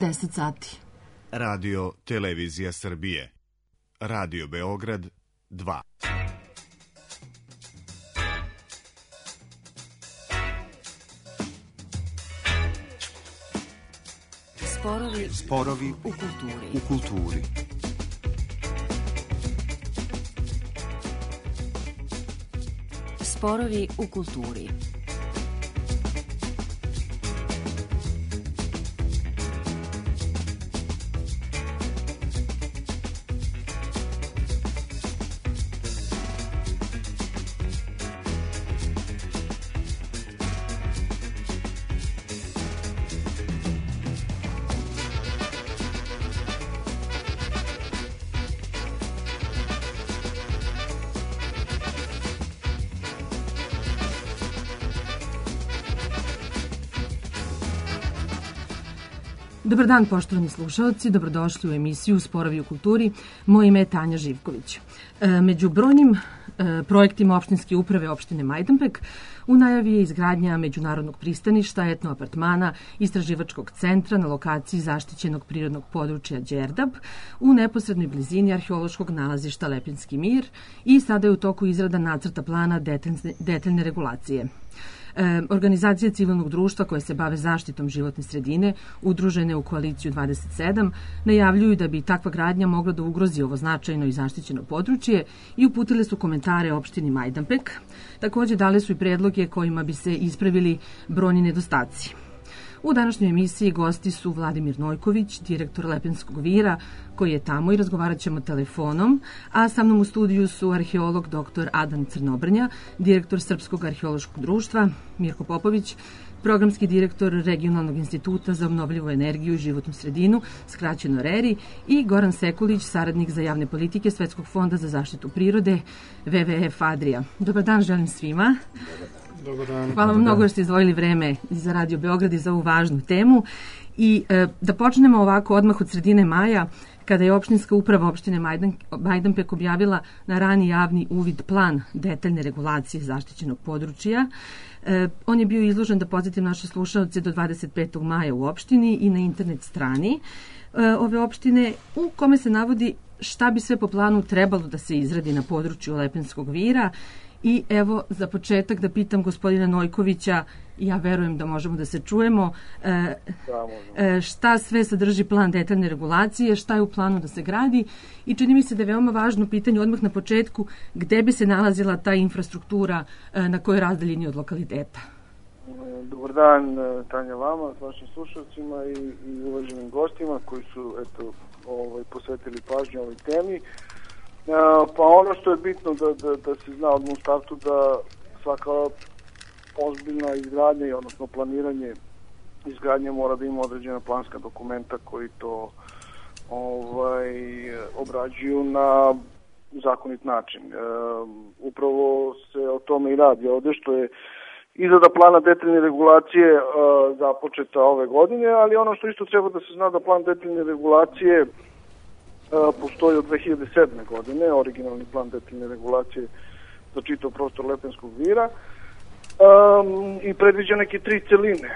10 sati. Radio Televizija Srbije. Radio Beograd 2. Sporovi u kulturi. Sporovi u kulturi. Dobar dan, poštovani slušalci, dobrodošli u emisiju Sporovi u kulturi. Moje ime je Tanja Živković. Među brojnim projektima opštinske uprave opštine Majdanpek u najavi je izgradnja međunarodnog pristaništa, etno apartmana, istraživačkog centra na lokaciji zaštićenog prirodnog područja Đerdap u neposrednoj blizini arheološkog nalazišta Lepinski mir i sada je u toku izrada nacrta plana detaljne regulacije. Organizacije civilnog društva koje se bave zaštitom životne sredine, udružene u koaliciju 27, najavljuju da bi takva gradnja mogla da ugrozi ovo značajno i zaštićeno područje i uputile su komentare opštini Majdanpek. Takođe dale su i predloge kojima bi se ispravili brojni nedostaci. U današnjoj emisiji gosti su Vladimir Nojković, direktor Lepenskog vira, koji je tamo i razgovarat ćemo telefonom, a sa mnom u studiju su arheolog dr. Adam Crnobrnja, direktor Srpskog arheološkog društva, Mirko Popović, programski direktor Regionalnog instituta za obnovljivu energiju i životnu sredinu, skraćeno RERI, i Goran Sekulić, saradnik za javne politike Svetskog fonda za zaštitu prirode, WWF Adria. Dobar dan želim svima. Dobar dan. Hvala vam mnogo jer ste izdvojili vreme za Radio Beograd i za ovu važnu temu. I da počnemo ovako odmah od sredine maja, kada je opštinska uprava opštine Majdanpek objavila na rani javni uvid plan detaljne regulacije zaštićenog područja. On je bio izložen, da podsjetim naše slušalce, do 25. maja u opštini i na internet strani ove opštine, u kome se navodi šta bi sve po planu trebalo da se izradi na području Lepenskog vira. I evo, za početak da pitam gospodina Nojkovića, ja verujem da možemo da se čujemo, šta sve sadrži plan detaljne regulacije, šta je u planu da se gradi, i čini mi se da je veoma važno pitanje odmah na početku gde bi se nalazila ta infrastruktura, na kojoj razdaljini od lokaliteta. Dobar dan, Tanja, vama, s vašim slušalcima i uvaženim gostima koji su posvetili pažnju ovoj temi. Pa ono što je bitno da se zna odmah u startu da svaka ozbiljna izgradnja, odnosno planiranje izgradnje mora da ima određena planska dokumenta koji to obrađuju na zakonit način. Upravo se o tome i radi ovde, što je izrada plana detaljne regulacije započeta ove godine, ali ono što isto treba da se zna da plan detaljne regulacije postoji od 2007. godine, originalni plan detaljne regulacije za čitav prostor Lepenskog vira, i predviđa neke 3 celine.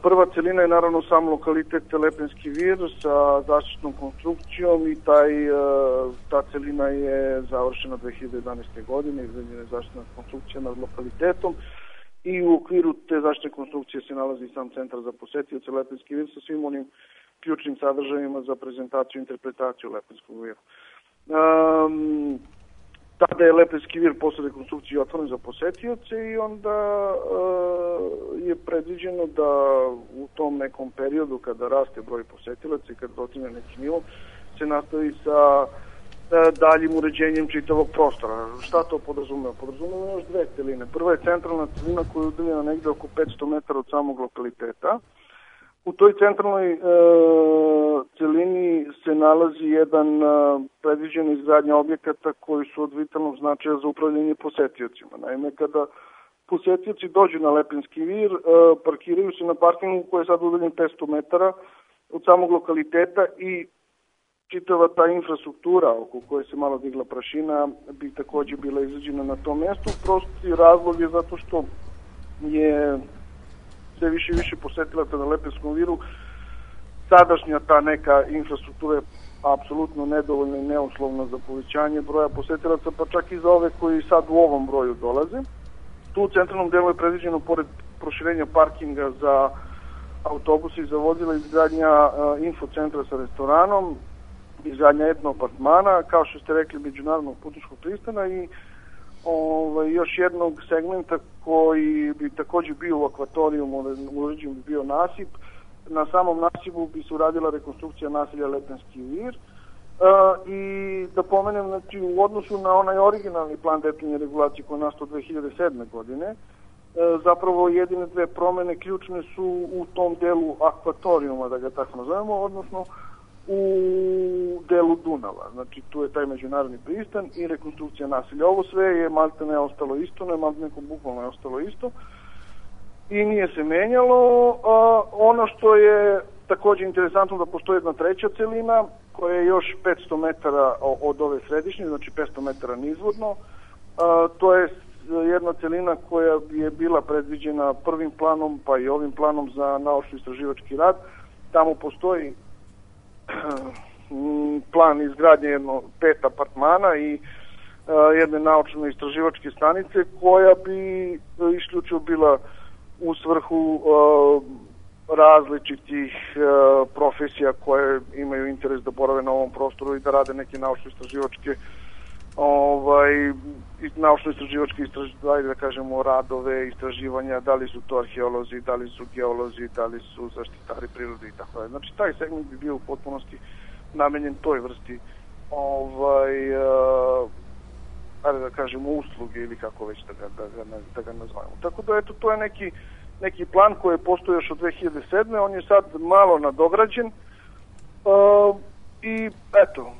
Prva celina je naravno sam lokalitet Lepenski vir sa zaštitnom konstrukcijom i ta celina je završena 2011. godine, izgrađena je zaštitna konstrukcija nad lokalitetom i u okviru te zaštitne konstrukcije se nalazi sam centar za posetioce Lepenski vir sa svim onim ključnim sadržajima za prezentaciju i interpretaciju Lepenskog vira. Tada je Lepenski vir posle rekonstrukcije otvoren za posetioce i onda je predviđeno da u tom nekom periodu kada raste broj posetilaca i kada dotigne neki nivo se nastavi sa daljim uređenjem čitavog prostora. Šta to podrazumeva? Podrazumeva još 2 celine. Prva je centralna celina koja je udaljena negde oko 500 metara od samog lokaliteta. U toj centralnoj celini se nalazi jedan predviđena izgradnja objekata koji su od vitalnog značaja za upravljanje posetiocima. Naime, kada posetioci dođu na Lepenski vir, parkiraju se na parkingu koji je sad udaljen 500 metara od samog lokaliteta i čitava ta infrastruktura oko koje se malo digla prašina bi takođe bila izrađena na tom mestu. Prosti razlog je zato što je sve više i više posetilaca na Lepenskom viru sadašnja ta neka infrastruktura je apsolutno nedovoljna i neuslovna za povećanje broja posetilaca, pa čak i za ove koji sad u ovom broju dolaze. Tu u centralnom delu je predviđeno, pored proširenja parkinga za autobuse i za vozila, izgradnja infocentra sa restoranom, izgradnja etno apartmana, kao što ste rekli, međunarodnog putničkog pristana i još jednog segmenta koji bi takođe bio u akvatorijumu, uređen bi bio nasip. Na samom nasipu bi se uradila rekonstrukcija naselja Lepenski vir. I da pomenem, znači, u odnosu na onaj originalni plan detaljne regulacije koji je nastao 2007. godine, zapravo jedine dve promene ključne su u tom delu akvatorijuma, da ga tako nazovemo, odnosno u delu Dunava. Znači, tu je taj međunarodni pristan i rekonstrukcija naselja. Ovo sve je maltene ostalo isto, bukvalno je ostalo isto i nije se menjalo. Ono što je takođe interesantno, da postoji jedna treća celina koja je još 500 metara od ove središnje, znači 500 metara nizvodno. To je jedna celina koja je bila predviđena prvim planom, pa i ovim planom za naučno-istraživački rad. Tamo postoji plan izgradnje 5 apartmana i jedne naučno-istraživačke stanice koja bi isključivo bila u svrhu različitih profesija koje imaju interes da borave na ovom prostoru i da rade neke naučno-istraživačke naučno-istraživačke da kažemo radove, istraživanja, da li su to arheolozi, da li su geolozi, da li su zaštitari prirode i tako dalje. Znači, taj segment bi bio u potpunosti namenjen toj vrsti ajde da kažemo usluge ili kako već da ga nazvajamo. Tako da, eto, to je neki plan koji je postojao još od 2007. On je sad malo nadograđen i eto,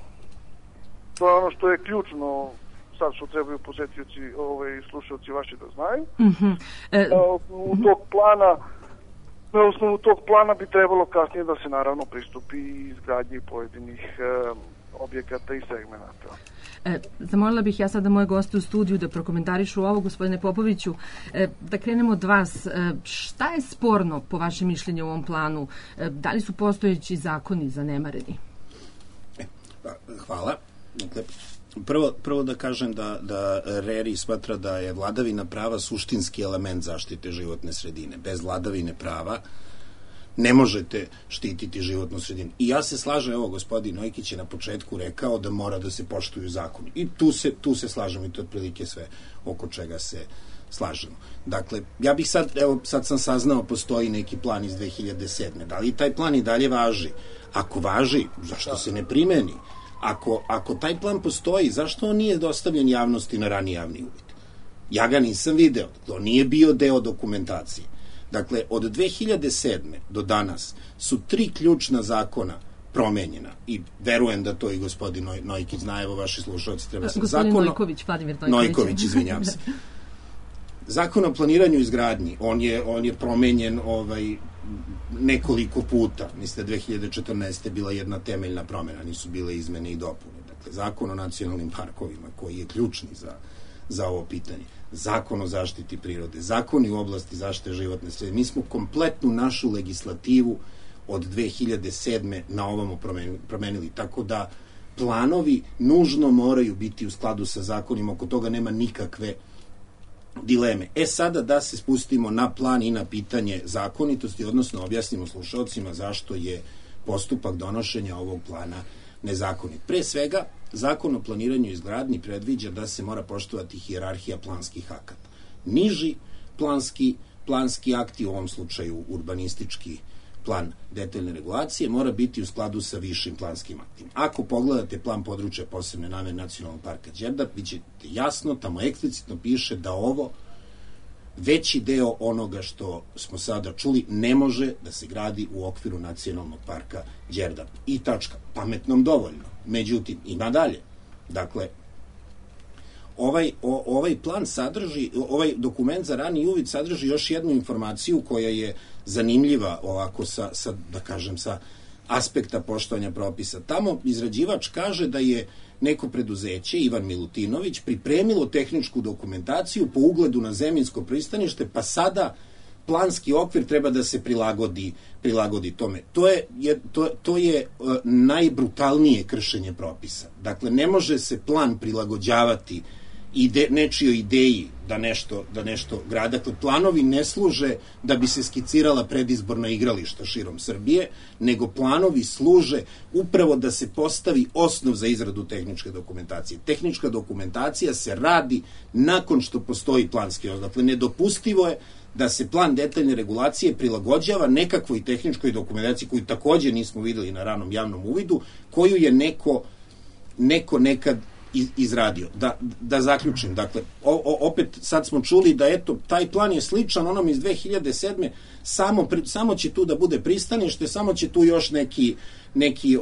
to je ono što je ključno sad što trebaju posetioci, slušalci vaši da znaju. Na osnovu tog plana bi trebalo kasnije da se naravno pristupi izgradnji pojedinih objekata i segmenata. Zamolila bih ja sada moje goste u studiju da prokomentarišu ovo, gospodine Popoviću. Da krenemo od vas. Šta je sporno po vašem mišljenju u ovom planu? Da li su postojeći zakoni zanemareni? Hvala. Dakle, prvo da kažem da RERI smatra da je vladavina prava suštinski element zaštite životne sredine. Bez vladavine prava ne možete štititi životnu sredinu. I ja se slažem, evo, gospodin Nojkić je na početku rekao da mora da se poštuju zakoni. I tu se slažemo i to je otprilike sve oko čega se slažemo. Dakle, ja bih sad sam saznao, postoji neki plan iz 2007. Da li taj plan i dalje važi? Ako važi, zašto se ne primeni? Ako taj plan postoji, zašto on nije dostavljen javnosti na rani javni uvid? Ja ga nisam video, to nije bio deo dokumentacije. Dakle, od 2007. do danas su 3 ključna zakona promenjena i verujem da to i gospodin Nojkić zna, evo vaši slušalci treba se... Gospodin Nojković, Vladimir Nojković, izvinjam se. Zakon o planiranju i izgradnji, on je promenjen nekoliko puta. Mislim da 2014. bila jedna temeljna promena, nisu bile izmene i dopune. Dakle, zakon o nacionalnim parkovima, koji je ključni za ovo pitanje, zakon o zaštiti prirode, zakoni u oblasti zaštite životne sredine. Mi smo kompletnu našu legislativu od 2007. na ovamo promenili, tako da planovi nužno moraju biti u skladu sa zakonima, oko toga nema nikakve dileme. Sada da se spustimo na plan i na pitanje zakonitosti, odnosno objasnimo slušalcima zašto je postupak donošenja ovog plana nezakonit. Pre svega, zakon o planiranju i izgradnji predviđa da se mora poštovati hijerarhija planskih akata. Niži planski akti, u ovom slučaju urbanistički plan detaljne regulacije, mora biti u skladu sa višim planskim aktima. Ako pogledate plan područja posebne namene Nacionalnog parka Đerdap, vidite jasno, tamo eksplicitno piše da ovo veći deo onoga što smo sada čuli ne može da se gradi u okviru Nacionalnog parka Đerdap. I tačka. Pametnom dovoljno. Međutim, ima dalje. Dakle, ovaj plan sadrži, ovaj dokument za rani uvid sadrži još jednu informaciju koja je zanimljiva ovako sa aspekta poštovanja propisa. Tamo izrađivač kaže da je neko preduzeće, Ivan Milutinović, pripremilo tehničku dokumentaciju po ugledu na Zeminsko pristanište, pa sada planski okvir treba da se prilagodi tome. To je najbrutalnije kršenje propisa. Dakle, ne može se plan prilagođavati nečijoj ideji da nešto grada. Dakle, planovi ne služe da bi se skicirala predizborna igrališta širom Srbije, nego planovi služe upravo da se postavi osnov za izradu tehničke dokumentacije. Tehnička dokumentacija se radi nakon što postoji planski osnov. Dakle, nedopustivo je da se plan detaljne regulacije prilagođava nekakvoj tehničkoj dokumentaciji koju takođe nismo videli na ranom javnom uvidu, koju je neko nekad izradio. Da zaključim, dakle, opet sad smo čuli da eto, taj plan je sličan onom iz 2007. Samo će tu da bude pristanište, samo će tu još neki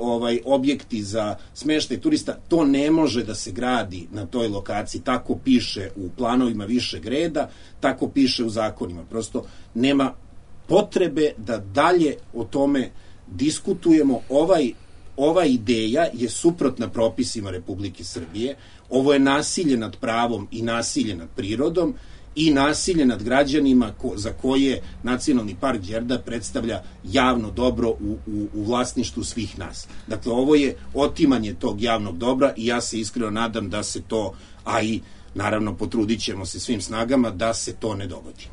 objekti za smeštaj turista. To ne može da se gradi na toj lokaciji. Tako piše u planovima višeg reda, tako piše u zakonima. Prosto nema potrebe da dalje o tome diskutujemo. Ova ideja je suprotna propisima Republike Srbije. Ovo je nasilje nad pravom i nasilje nad prirodom i nasilje nad građanima za koje Nacionalni park Đerdap predstavlja javno dobro u vlasništvu svih nas. Dakle, ovo je otimanje tog javnog dobra i ja se iskreno nadam da se to, a i naravno potrudit ćemo se svim snagama da se to ne dogodi.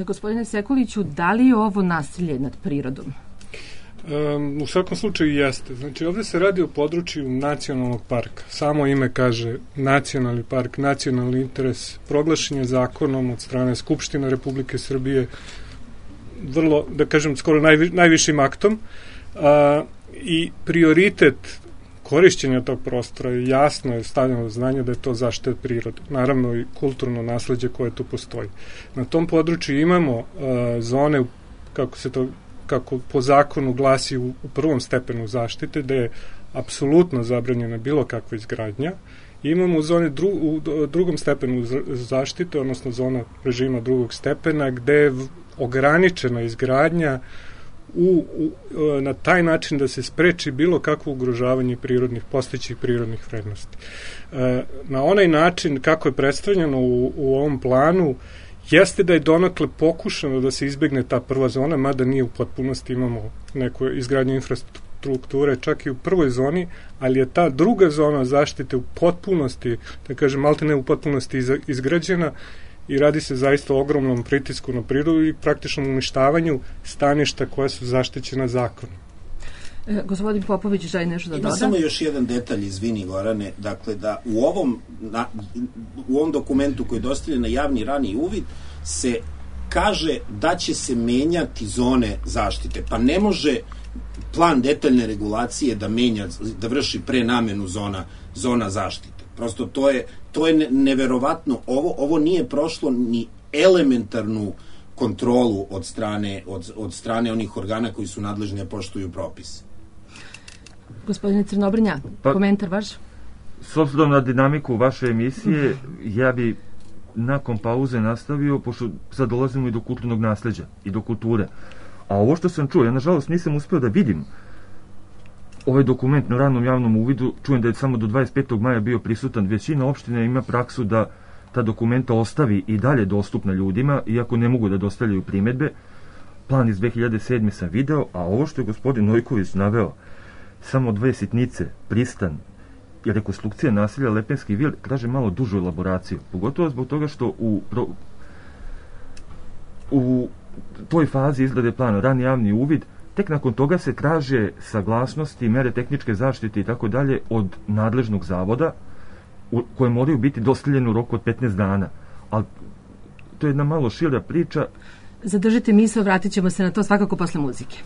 Gospodine Sekuliću, da li je ovo nasilje nad prirodom? U svakom slučaju jeste. Znači, ovde se radi o području nacionalnog parka. Samo ime kaže nacionalni park, nacionalni interes, proglašen je zakonom od strane Skupštine Republike Srbije, vrlo, da kažem, skoro najvišim aktom, i prioritet korišćenja tog prostora je jasno stavljeno do znanja da je to zaštita prirode. Naravno i kulturno nasleđe koje tu postoji. Na tom području imamo zone, kako po zakonu glasi u prvom stepenu zaštite, da je apsolutno zabranjena bilo kakva izgradnja. Imamo u drugom stepenu zaštite, odnosno zona režima drugog stepena, gde je ograničena izgradnja na taj način da se spreči bilo kakvo ugrožavanje postojećih prirodnih vrednosti. Na onaj način kako je predstavljeno u ovom planu, jeste da je donakle pokušano da se izbegne ta prva zona, mada nije u potpunosti, imamo neku izgradnju infrastrukture, čak i u prvoj zoni, ali je ta druga zona zaštite u potpunosti, da kažem, malte ne u potpunosti izgrađena i radi se zaista o ogromnom pritisku na prirodu i praktičnom uništavanju staništa koja su zaštićena zakonom. Gospodin Popović želi nešto da doda? Ima samo još jedan detalj, izvini Gorane, dakle da u ovom dokumentu koji je dostavljen na javni rani uvid se kaže da će se menjati zone zaštite, pa ne može plan detaljne regulacije da vrši prenamenu zona zaštite. Prosto to je neverovatno. Ovo nije prošlo ni elementarnu kontrolu od strane onih organa koji su nadležni da poštuju propise. Gospodine Crnobrnja, komentar vaš? S obzirom na dinamiku vaše emisije, ja bi nakon pauze nastavio, pošto sad dolazimo i do kulturnog nasleđa i do kulture. A ovo što sam čuo, ja nažalost nisam uspeo da vidim ovaj dokument na ranom javnom uvidu, čujem da je samo do 25. maja bio prisutan. Većina opština ima praksu da ta dokumenta ostavi i dalje dostupna ljudima, iako ne mogu da dostavljaju primedbe. Plan iz 2007. sam video, a ovo što je gospodin Nojković naveo, samo 2 sitnice, pristan i rekonstrukcija naselja Lepenski vil, traže malo dužu elaboraciju. Pogotovo zbog toga što u toj fazi izrade plana rani javni uvid, tek nakon toga se traže saglasnosti, mere tehničke zaštite i tako dalje od nadležnog zavoda, koje moraju biti dostavljene u roku od 15 dana. Ali to je jedna malo šira priča. Zadržite misao, vratit ćemo se na to svakako posle muzike.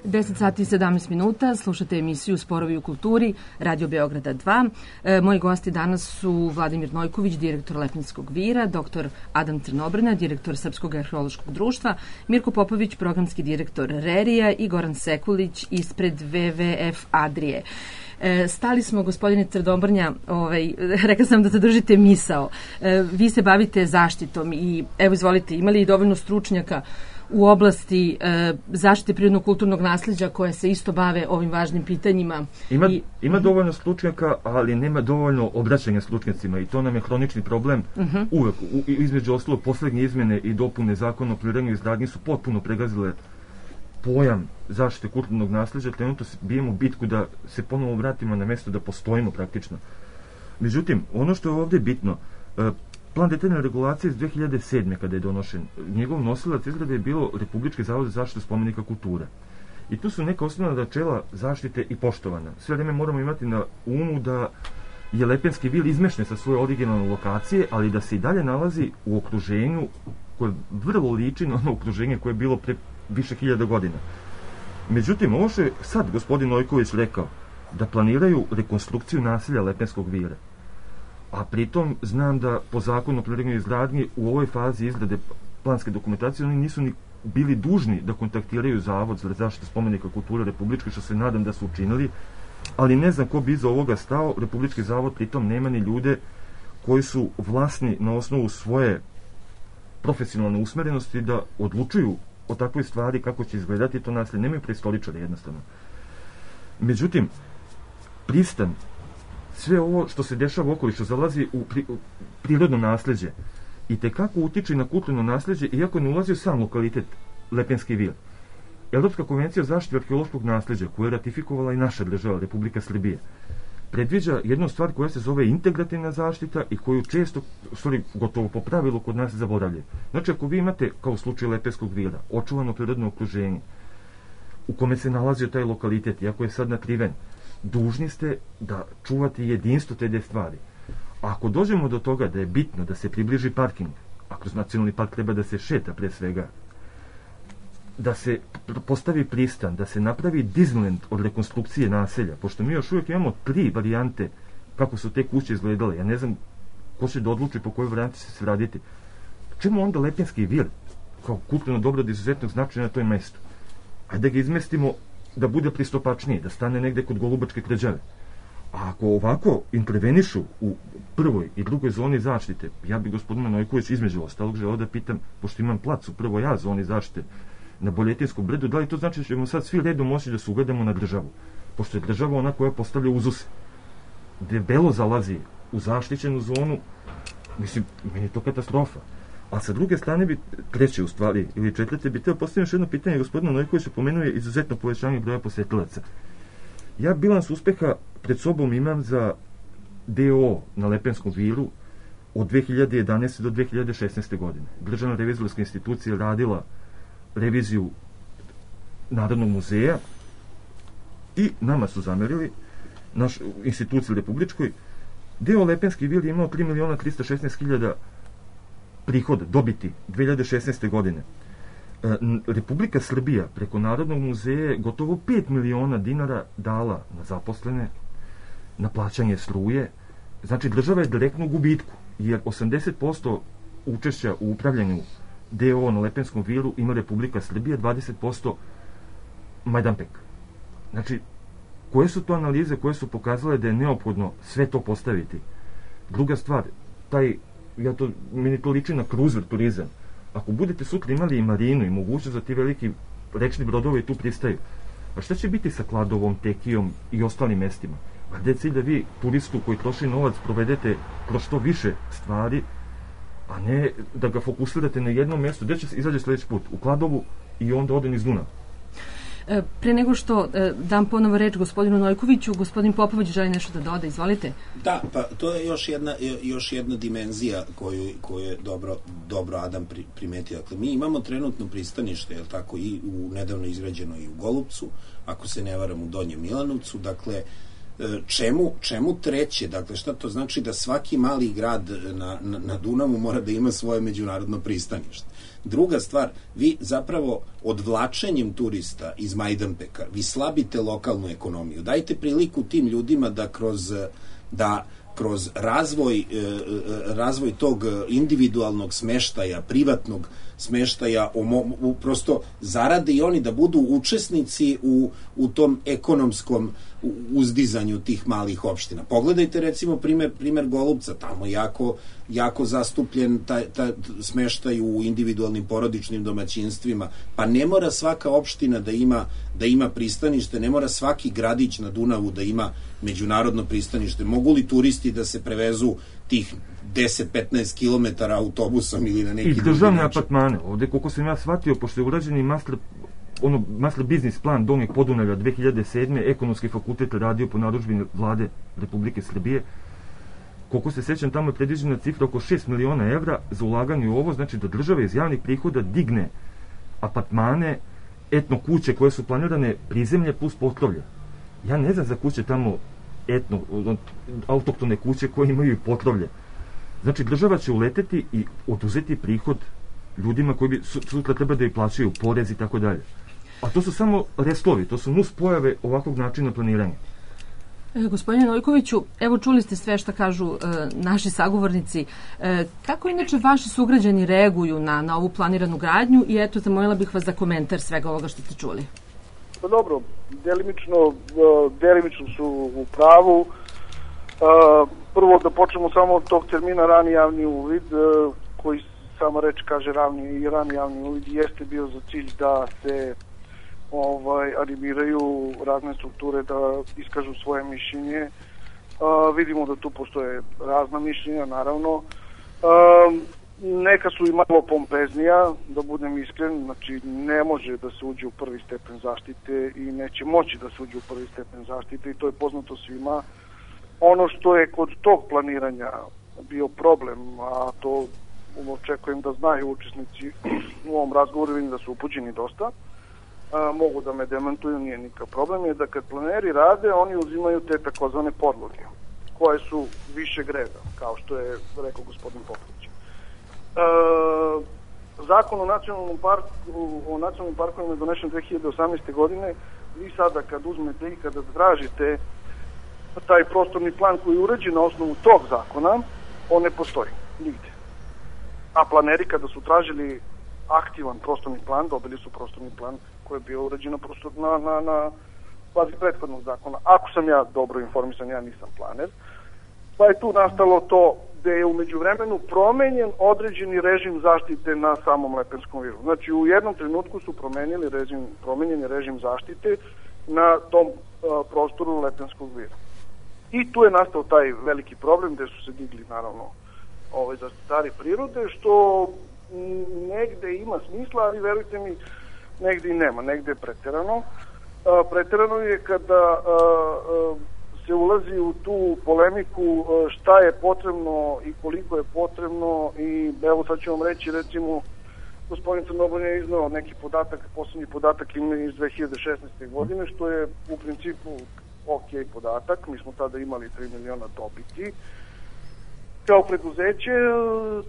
Deset sati i 17 minuta, slušate emisiju Sporovi u kulturi, Radio Beograda 2. Moji gosti danas su Vladimir Nojković, direktor Lepenskog vira, dr. Adam Crnobrna, direktor Srpskog arheološkog društva, Mirko Popović, programski direktor RERI-a i Goran Sekulić ispred WWF Adrije. Stali smo, gospodine Crnobrnja, rekla sam da zadržite misao. Vi se bavite zaštitom i evo izvolite, imali i dovoljno stručnjaka u oblasti zaštite prirodnog kulturnog nasleđa koje se isto bave ovim važnim pitanjima. Ima dovoljno stručnjaka, ali nema dovoljno obraćanja stručnjacima i to nam je hronični problem. Uvek, između ostalog, poslednje izmene i dopune zakona o planiranju i izgradnji su potpuno pregazile pojam zaštite kulturnog nasleđa. Trenutno bijemo bitku da se ponovo vratimo na mesto da postojimo praktično. Međutim, ono što je ovde bitno, plan detaljne regulacije iz 2007. kada je donošen, njegov nosilac izrade je bilo Republički zavod za zaštitu spomenika kulture. I tu su neka osnovna načela zaštite i poštovana. Sve vreme moramo imati na umu da je Lepenski vil izmešten sa svoje originalne lokacije, ali da se i dalje nalazi u okruženju koje vrlo liči na ono okruženje koje je bilo pre više hiljada godina. Međutim, ovo što je sad gospodin Nojković rekao, da planiraju rekonstrukciju naselja Lepenskog vira, a pritom znam da po zakonu o planiranju i izgradnji u ovoj fazi izrade planske dokumentacije oni nisu ni bili dužni da kontaktiraju Zavod za zaštitu spomenika kulture Republičke, što se nadam da su učinili, ali ne znam ko bi iza ovoga stao. Republički zavod pritom nema ni ljude koji su vlasni na osnovu svoje profesionalne usmerenosti da odlučuju o takvoj stvari kako će izgledati to naselje. Nemaju prestoličare jednostavno. Međutim, pristan, sve ovo što se dešava okolo, što zalazi u prirodno nasleđe, i tekako utiče na kulturno nasleđe, iako ne ulazi u sam lokalitet Lepenski vil. Evropska konvencija o zaštiti arheološkog nasleđa, koju je ratifikovala i naša država, Republika Srbije, predviđa jednu stvar koja se zove integrativna zaštita i koju često, gotovo po pravilu kod nas zaboravljaju. Znači, ako vi imate, kao u slučaju Lepenskog vila, očuvano prirodno okruženje u kome se nalazio taj lokalitet, iako je sad nakriven, dužni ste da čuvate jedinstvo te dve stvari. A ako dođemo do toga da je bitno da se približi parking, a kroz nacionalni park treba da se šeta pre svega, da se postavi pristan, da se napravi Disneyland od rekonstrukcije naselja, pošto mi još uvijek imamo 3 varijante kako su te kuće izgledale. Ja ne znam ko će da odluči po kojoj varijanti će se raditi. Čemu onda Lepenski vir kao kulturno dobro od izuzetnog značaja na toj mestu? Ajde da ga izmestimo da bude pristupačniji, da stane negde kod Golubačke tvrđave. A ako ovako intervenišu u prvoj i drugoj zoni zaštite, ja bi gospodina Nojković između ostalog želeo da pitam, pošto imam plac u prvoj A zoni zaštite na Boljetinskom brdu, da li to znači da ćemo sad svi redom moći da se ugledamo na državu? Pošto je država ona koja postavlja uzuse. Debelo zalazi u zaštićenu zonu, mislim, meni je to katastrofa. A sa druge strane bi, treće u stvari, ili četvrte, bi teo postaviti još jedno pitanje. Gospodina Nojkovića pomenuo je izuzetno povećanje broja posetilaca. Ja bilans uspeha pred sobom imam za DO na Lepenskom vilu od 2011. do 2016. godine. Državna revizorska institucija radila reviziju Narodnog muzeja i nama su zamerili, naš instituciji republičkoj, DO Lepenski vil je imao 3.316.000 prihoda, dobiti 2016. godine. Republika Srbija preko Narodnog muzeja je gotovo 5 miliona dinara dala na zaposlene, na plaćanje struje. Znači, država je direktno u gubitku, jer 80% učešća u upravljanju DO na Lepenskom vilu ima Republika Srbija, 20% Majdanpek. Znači, koje su to analize koje su pokazale da je neophodno sve to postaviti? Druga stvar, meni to liči na kruzer turizam. Ako budete sutra imali i marinu i mogućnost da ti veliki rečni brodovi tu pristaju, a šta će biti sa Kladovom, Tekijom i ostalim mestima? A gde je cilj da vi turistu koji troši novac provedete kroz što više stvari, a ne da ga fokusirate na jednom mjestu? Gde će se izađe sledeći put? U Kladovu i onda ode niz Dunav. Pre nego što dam ponovo reč gospodinu Nojkoviću, gospodin Popović želi nešto da doda, izvolite. Da, pa to je još jedna dimenzija koju je dobro Adam primetio. Dakle, mi imamo trenutno pristanište, je li tako, i u nedavno izgrađeno i u Golupcu, ako se ne varam u Donjem Milanovcu, dakle, čemu treće? Dakle, šta to znači da svaki mali grad na Dunavu mora da ima svoje međunarodno pristanište? Druga stvar, vi zapravo odvlačenjem turista iz Majdanpeka, vi slabite lokalnu ekonomiju. Dajte priliku tim ljudima da kroz razvoj tog individualnog smeštaja, privatnog smeštaja, prosto zarade i oni da budu učesnici u tom ekonomskom uzdizanju tih malih opština. Pogledajte recimo primer Golupca, tamo jako zastupljen taj smeštaj u individualnim porodičnim domaćinstvima, pa ne mora svaka opština da ima pristanište, ne mora svaki gradić na Dunavu da ima međunarodno pristanište. Mogu li turisti da se prevezu tih 10-15 kilometara autobusom ili na neki drugi način? I državne apartmane. Ovde, koliko sam ja shvatio, pošto je urađeni master biznis plan Donjeg Podunavlja 2007. Ekonomski fakultet radio po narudžbi vlade Republike Srbije, koliko se sećam, tamo je predviđena cifra oko 6 miliona evra za ulaganje u ovo, znači da država iz javnih prihoda digne apartmane, etno kuće koje su planirane prizemlje plus potrovlje. Ja ne znam za kuće tamo autoktone kuće koje imaju i potrovlje. Znači, država će uleteti i oduzeti prihod ljudima koji bi sutra treba da i plaćaju porez i tako dalje. A to su samo reslovi, to su nus pojave ovakvog načina planiranja. Gospodine Nojkoviću, evo čuli ste sve što kažu naši sagovornici. Kako inače vaši sugrađani reaguju na ovu planiranu gradnju i eto, zamolila bih vas za komentar svega ovoga što ste čuli. Pa dobro, delimično su u pravu. Prvo da počnemo samo od tog termina rani javni uvid, koji sama reč kaže rani javni uvid, jeste bio za cilj da se animiraju razne strukture da iskažu svoje mišljenje. Vidimo da tu postoje razna mišljenja, naravno. Neka su i malo pompeznija, da budem iskren, znači ne može da se uđe u prvi stepen zaštite i neće moći da se uđe u prvi stepen zaštite i to je poznato svima. Ono što je kod tog planiranja bio problem, a to očekujem da znaju učesnici u ovom razgovoru, vidim da su upućeni dosta, mogu da me demantuju, nije nikakav problem, je da kad planeri rade, oni uzimaju te takozvane podloge, koje su više greda, kao što je rekao gospodin Popović. Zakon o nacionalnom parkovima je donešen 2018. godine. Vi sada kad uzmete i kada tražite taj prostorni plan koji je uređen na osnovu tog zakona, on ne postoji nigde. A planeri kada su tražili aktivan prostorni plan, dobili su prostorni plan koji je bio uređen na bazi prethodnog zakona. Ako sam ja dobro informisan, ja nisam planer, pa je tu nastalo to da je umeđu vremenu promenjen određeni režim zaštite na samom Lepenskom viru. Znači u jednom trenutku su promenjeni režim zaštite na tom prostoru Lepenskog vira. I tu je nastao taj veliki problem gde su se digli naravno zaštitari prirode, što negde ima smisla, ali verujte mi, negde i nema, negde je preterano. Preterano je kada se ulazi u tu polemiku šta je potrebno i koliko je potrebno i evo sad ću vam reći, recimo, gospodin Crnobolj je iznao neki podatak, poslednji podatak ima iz 2016. godine, što je u principu ok podatak, mi smo tada imali 3 miliona dobiti. Kao preduzeće,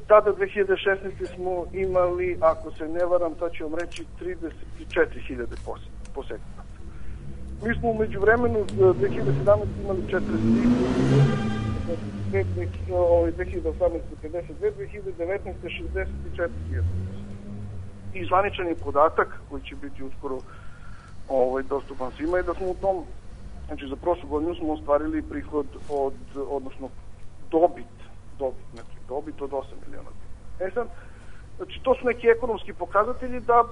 tada 2016. smo imali, ako se ne varam, sad ću vam reći, 34.000 posetilaca. Mi smo umeđu vremenu 2017. imali 43, 2018. 52, 2019. 64.000. I zvaničan je podatak, koji će biti uskoro dostupan svima, je da smo u tom, znači za prošlu godinu smo ostvarili prihod odnosno dobit od 8 miliona. Sad, znači to su neki ekonomski pokazatelji da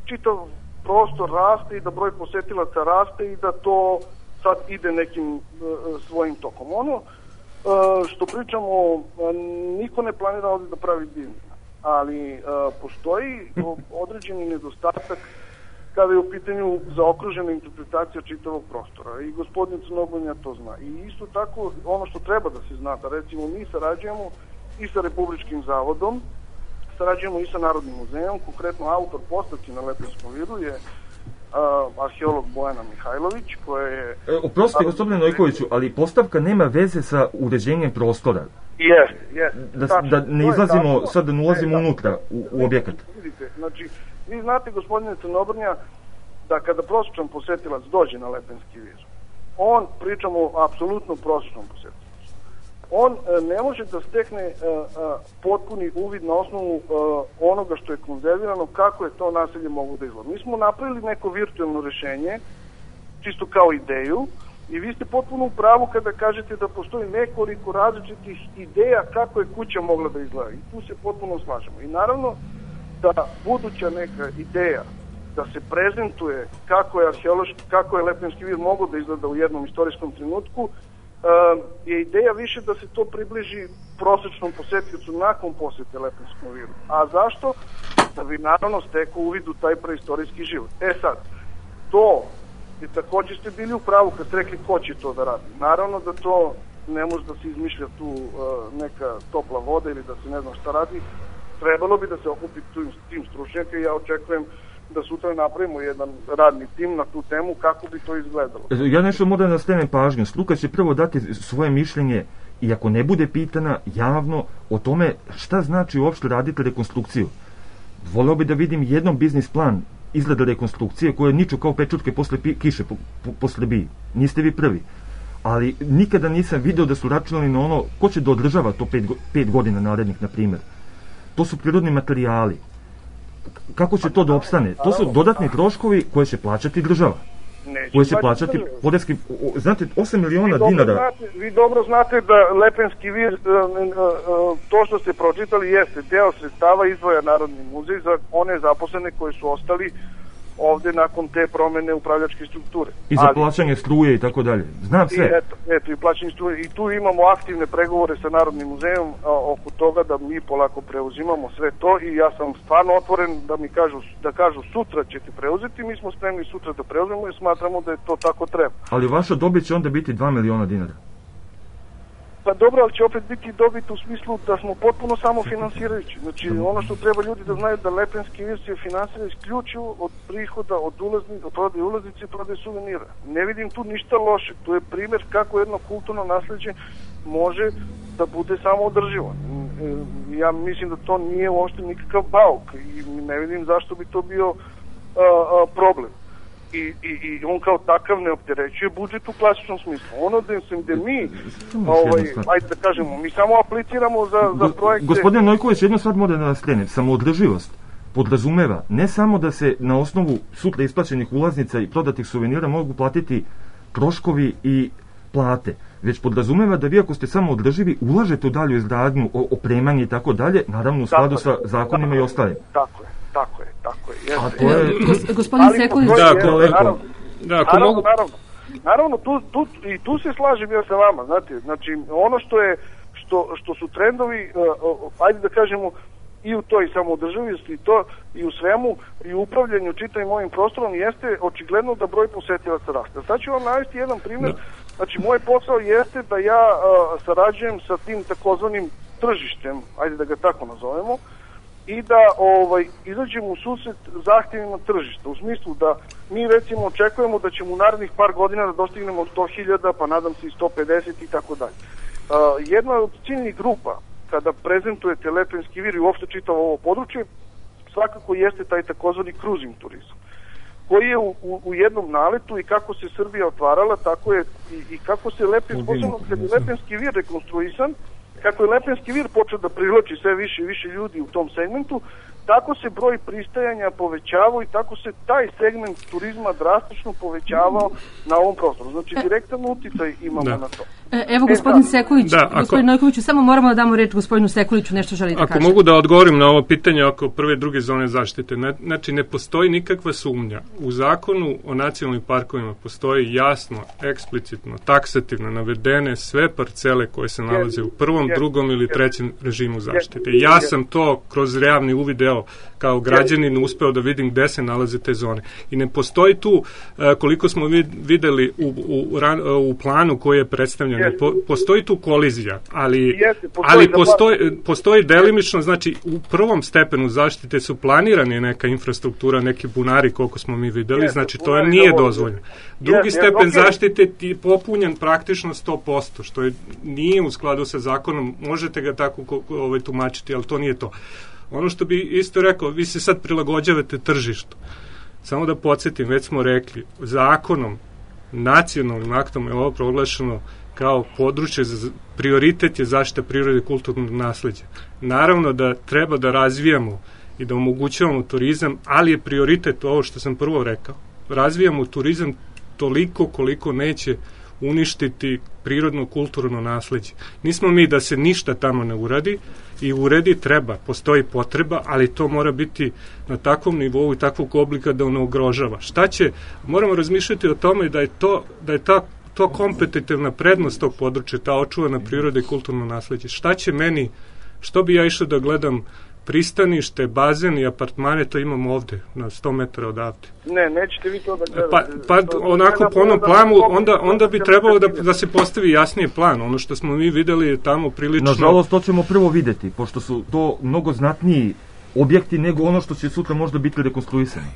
čitav prostor raste i da broj posetilaca raste i da to sad ide nekim svojim tokom. Ono što pričamo, niko ne planira ovdje da pravi divljenje, ali postoji određeni nedostatak kada je u pitanju zaokružena interpretacija čitavog prostora. I gospodin Crnogonja to zna. I isto tako, ono što treba da se zna, da recimo mi sarađujemo i sa Republičkim zavodom, sarađujemo i sa Narodnim muzejom, konkretno autor postavki na Lepenskom viru je arheolog Bojana Mihajlović, koja je... Oprostite, gospodine Nojkoviću, ali postavka nema veze sa uređenjem prostora. Jeste. Da ne izlazimo, sad da ne ulazimo unutra u objekat. Vidite, znači, vi znate, gospodine Crnobrnja, da kada prosječan posetilac dođe na Lepenski vir, on, pričamo o apsolutno prosječnom posetilacu, on ne može da stekne potpuni uvid na osnovu onoga što je konzervirano, kako je to naselje moglo da izgleda. Mi smo napravili neko virtualno rešenje, čisto kao ideju, i vi ste potpuno u pravu kada kažete da postoji nekoliko različitih ideja kako je kuća mogla da izgleda. I tu se potpuno slažemo. I naravno da buduća neka ideja da se prezentuje kako je Lepenski vir mogao da izgleda u jednom istorijskom trenutku, je ideja više da se to približi prosečnom posetiocu nakon posete Lepenskom viru. A zašto? Da bi naravno stekao uvid u taj preistorijski život. Sad, to i takođe ste bili u pravu kad ste rekli ko će to da radi. Naravno da to ne može da se izmišlja tu neka topla voda ili da se ne znam šta radi. Trebalo bi da se okupi tim stručnjaka i ja očekujem da sutra napravimo jedan radni tim na tu temu kako bi to izgledalo. Ja nešto moram da skrenem pažnju. Struka će prvo dati svoje mišljenje i ako ne bude pitana javno o tome šta znači uopšte raditi rekonstrukciju. Voleo bi da vidim jednom biznis plan izgleda rekonstrukcije koje niču kao pečurke posle kiše po Srbiji. Niste vi prvi. Ali nikada nisam video da su računali na ono ko će da održava to 5 godina narednih, na primjer. To su prirodni materijali. Kako će to da opstane? To su dodatni troškovi koje će plaćati država. Koje će plaćati poreski... Znate, 8 miliona dinara... Vi dobro znate da Lepenski vir, to što ste pročitali, jeste deo sredstava izdvaja Narodni muzej za one zaposlene koji su ostali ovde nakon te promene upravljačke strukture. I za plaćanje struje i tako dalje. Znam sve. Eto, i plaćanje struje. I tu imamo aktivne pregovore sa Narodnim muzejom oko toga da mi polako preuzimamo sve to i ja sam stvarno otvoren da kažu sutra ćete preuzeti, mi smo spremni sutra da preuzmemo i smatramo da je to tako treba. Ali vaša dobit će onda biti 2 miliona dinara. Pa dobro, ali će opet biti dobit u smislu da smo potpuno samofinansirajući. Znači, ono što treba ljudi da znaju da Lepenski vir se finansira isključivo od prihoda, od prodaje ulaznice i prodaje suvenira. Ne vidim tu ništa loše. To je primjer kako jedno kulturno nasleđe može da bude samoodrživo. Ja mislim da to nije uopšte nikakav bauk i ne vidim zašto bi to bio problem. I on kao takav ne opterećuje budžet u klasičnom smislu. Ono da mi, ajde da kažemo, mi samo apliciramo za projekte... Gospodine Nojković, jedno stvar moram da nas krenem. Samoodrživost podrazumeva ne samo da se na osnovu sutra isplaćenih ulaznica i prodatih suvenira mogu platiti troškovi i plate, već podrazumeva da vi ako ste samoodrživi ulažete u dalju izgradnju, opremanje i tako dalje, naravno u skladu sa zakonima i ostalim. Tako je. A to je... Gospodin Sekulić... Naravno, tu se slažem ja sa vama, znate, znači, ono što su trendovi, ajde da kažemo, i u toj samoodrživosti i u svemu i u upravljanju čitavim ovim prostorom jeste očigledno da broj posetilaca raste. Sad ću vam navesti jedan primjer. Znači, moj posao jeste da ja sarađujem sa tim takozvanim tržištem, ajde da ga tako nazovemo, i da izađemo u susret zahtjevima tržišta, u smislu da mi recimo očekujemo da ćemo u narednih par godina da dostignemo 100.000, pa nadam se i 150 i tako dalje. Jedna od ciljnih grupa kada prezentujete Lepenski vir i uopšte čitavo ovo područje, svakako jeste taj takozvani cruising turizam, koji je u jednom naletu i kako se Srbija otvarala, tako je i kako se Lepenski vir rekonstruisan, kako je Lepenski vir počeo da privlači sve više i više ljudi u tom segmentu, tako se broj pristajanja povećavao i tako se taj segment turizma drastično povećavao na ovom prostoru. Znači, direktan uticaj imamo na to. Evo, gospodin Sekulić, gospodin Nojkoviću, samo moramo da damo reč gospodinu Sekuliću, nešto želi da kaže. Ako mogu da odgovorim na ovo pitanje oko prve i druge zone zaštite, znači ne postoji nikakva sumnja. U zakonu o nacionalnim parkovima postoji jasno, eksplicitno, taksativno navedene sve parcele koje se nalaze u prvom, drugom ili trećem režimu zaštite. Ja sam to kroz javni uvid, video kao građanin, uspeo da vidim gde se nalaze te zone. I ne postoji tu, koliko smo videli u planu koji je predstavljen, postoji tu kolizija, ali postoji delimično, znači u prvom stepenu zaštite su planirane neka infrastruktura, neki bunari koliko smo mi videli, znači to nije dozvoljeno. Drugi stepen zaštite je popunjen praktično 100%, što nije u skladu sa zakonom, možete ga tako tumačiti, ali to nije to. Ono što bi isto rekao, vi se sad prilagođavate tržištu. Samo da podsjetim, već smo rekli, zakonom, nacionalnim aktom je ovo proglašeno kao područje, prioritet je zaštita prirode i kulturnog nasleđa. Naravno da treba da razvijamo i da omogućavamo turizam, ali je prioritet ovo što sam prvo rekao. Razvijamo turizam toliko koliko neće uništiti prirodno kulturno nasleđe. Nismo mi da se ništa tamo ne uradi i uredi treba, postoji potreba, ali to mora biti na takvom nivou i takvog oblika da ono ugrožava. Šta će, moramo razmišljati o tome da je to kompetitivna prednost tog područja, ta očuvana priroda i kulturno nasleđe. Šta će meni, što bi ja išao da gledam pristanište, bazen i apartmane, to imamo ovde, na 100 metara odavde. Ne, nećete vi to da gledate. Pa onako po onom planu, onda bi trebalo da se postavi jasnije plan. Ono što smo mi videli je tamo prilično... Nažalost, to ćemo prvo videti, pošto su to mnogo znatniji objekti nego ono što će sutra možda biti rekonstruisano.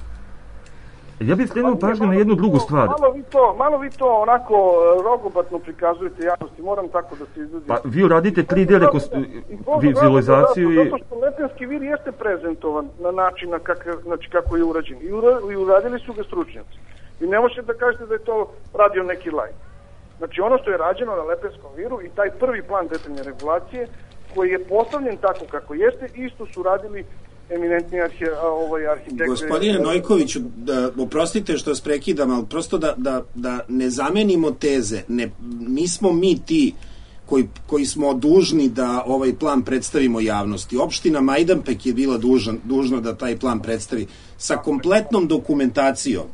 Ja bih skrenuo pažnju na jednu drugu stvar. Malo vi to onako rogobatno prikazujete javnosti, moram tako da se izuzim. Pa vi uradite 3D vizualizaciju i... Zato što Lepenski vir jeste prezentovan na način kako je urađen. I uradili su ga stručnjaci. I ne možete da kažete da je to radio neki lajk. Znači ono što je rađeno na Lepenskom viru i taj prvi plan detaljne regulacije koji je postavljen tako kako jeste, isto su radili eminentni arhitekti. Gospodine Nojkoviću, oprostite što vas prekidam, ali prosto da ne zamenimo teze. Nismo mi ti koji smo dužni da ovaj plan predstavimo javnosti. Opština Majdanpek je bila dužna da taj plan predstavi sa kompletnom dokumentacijom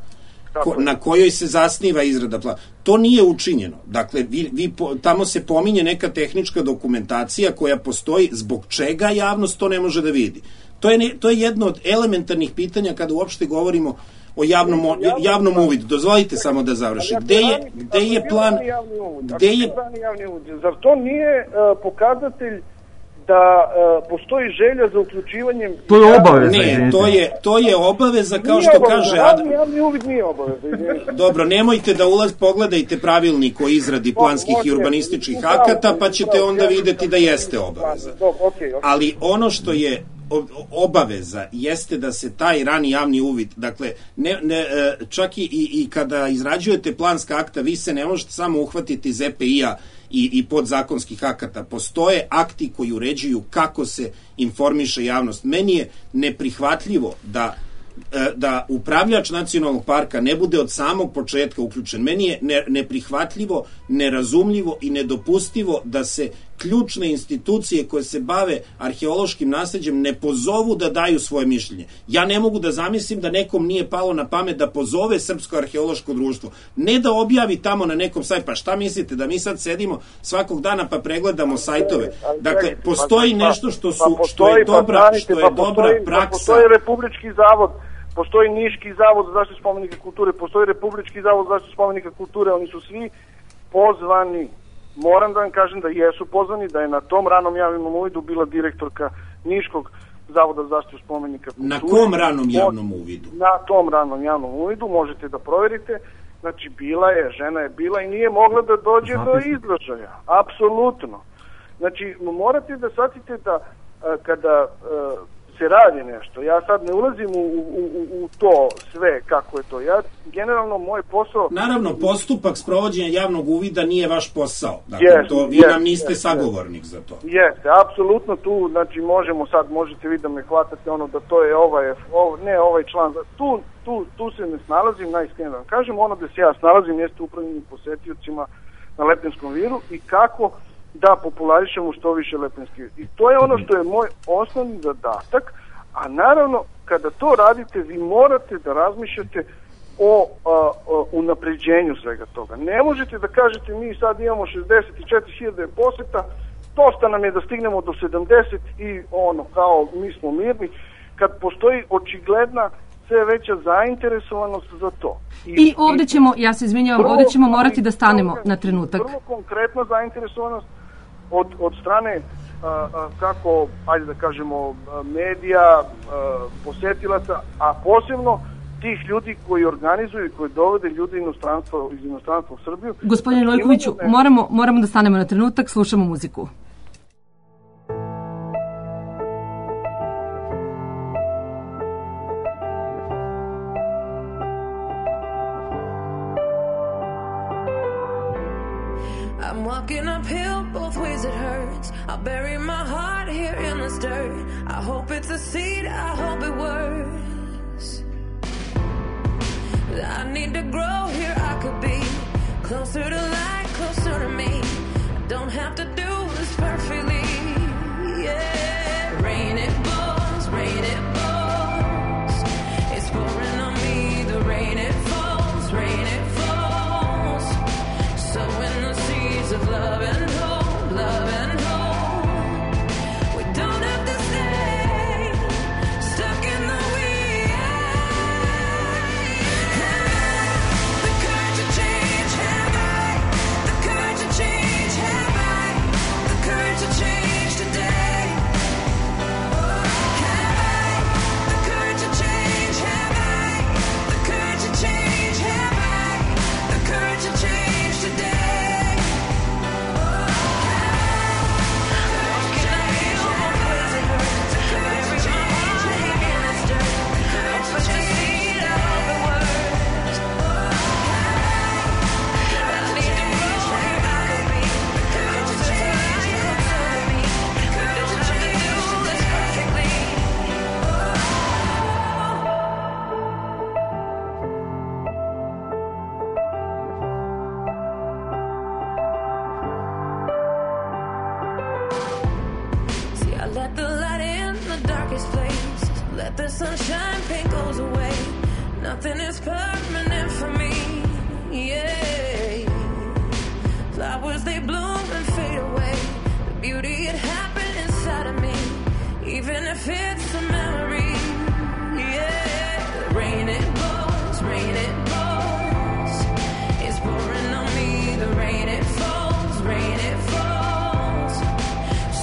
na kojoj se zasniva izrada plana. To nije učinjeno. Dakle, tamo se pominje neka tehnička dokumentacija koja postoji, zbog čega javnost to ne može da vidi. To je jedno od elementarnih pitanja kada uopšte govorimo o javnom uvidu. Dozvolite samo da završim. Gde je plan... Zar to nije pokazatelj da postoji želja za uključivanjem... To je obaveza. Ne, to je obaveza, kao što kaže... Javni uvid nije obaveza. Dobro, nemojte da pogledajte pravilnik o izradi planskih i urbanističkih akata, pa ćete onda videti da jeste obaveza. Ali ono što je obaveza jeste da se taj rani javni uvid, dakle, čak i kada izrađujete planska akta, vi se ne možete samo uhvatiti iz EPI-a i podzakonskih akata. Postoje akti koji uređuju kako se informiše javnost. Meni je neprihvatljivo da upravljač nacionalnog parka ne bude od samog početka uključen. Meni je neprihvatljivo, nerazumljivo i nedopustivo da se ključne institucije koje se bave arheološkim nasleđem ne pozovu da daju svoje mišljenje. Ja ne mogu da zamislim da nekom nije palo na pamet da pozove Srpsko arheološko društvo. Ne da objavi tamo na nekom sajtu. Pa šta mislite, da mi sad sedimo svakog dana pa pregledamo sajtove? Dakle, postoji nešto što je dobra praksa. Postoji Republički zavod, postoji Niški zavod za zaštitu spomenika kulture, postoji Republički zavod za zaštitu spomenika kulture, oni su svi pozvani. Moram da vam kažem da jesu pozvani, da je na tom ranom javnom uvidu bila direktorka Niškog zavoda za zaštitu spomenika kulture. Na kom ranom javnom uvidu? Na tom ranom javnom uvidu, možete da proverite. Znači, žena je bila i nije mogla da dođe do izražaja. Apsolutno. Znači, morate da shvatite da kada se radi nešto, ja sad ne ulazim u to sve kako je to. Generalno moj posao... Naravno, postupak sprovođenja javnog uvida nije vaš posao. Dakle, vi nam niste sagovornik za to. Jeste, apsolutno tu, znači možete vi da me hvatate da to je ovaj član. Tu se ne snalazim, najiskrenije da vam kažem, gde se ja snalazim jeste upravljanje posetiocima na Lepenskom viru i kako da popularišemo što više Lepenski vir. I to je ono što je moj osnovni zadatak, a naravno kada to radite vi morate da razmišljate o unapređenju svega toga. Ne možete da kažete mi sad imamo 64.000 poseta, dosta nam je da stignemo do 70 i kao mi smo mirni. kad postoji očigledna sve veća zainteresovanost za to. I ovde ćemo, ja se izvinjavam, ovde ćemo morati da stanemo na trenutak. Vrlo konkretna zainteresovanost od strane kako, ajde da kažemo, medija, posetilaca, a posebno tih ljudi koji organizuju i koji dovode ljudi iz inostranstva u Srbiju. Gospodine Lojkoviću, moramo da stanemo na trenutak, slušamo muziku. I'm walking uphill, both ways it hurts. I'll bury my heart here in the dirt. I hope it's a seed, I hope it works. I need to grow here, I could be closer to light, closer to me. I don't have to do this perfectly, yeah. Rain it falls, it's pouring on me. The rain it falls, sowing the seeds of love and hope, love and hope. We don't have to stay stuck in the weeds. The courage to change, have I? The courage to change, have I? The courage to change today. Have I? The courage to change, have I? The courage to change, have I? The courage to change today. Let the light in the darkest place. Let the sunshine paint goes away. Nothing is permanent for me, yeah. Flowers, they bloom and fade away. The beauty, it happened inside of me. Even if it's a memory, yeah. Rain, it falls, it's pouring on me. The rain, it falls,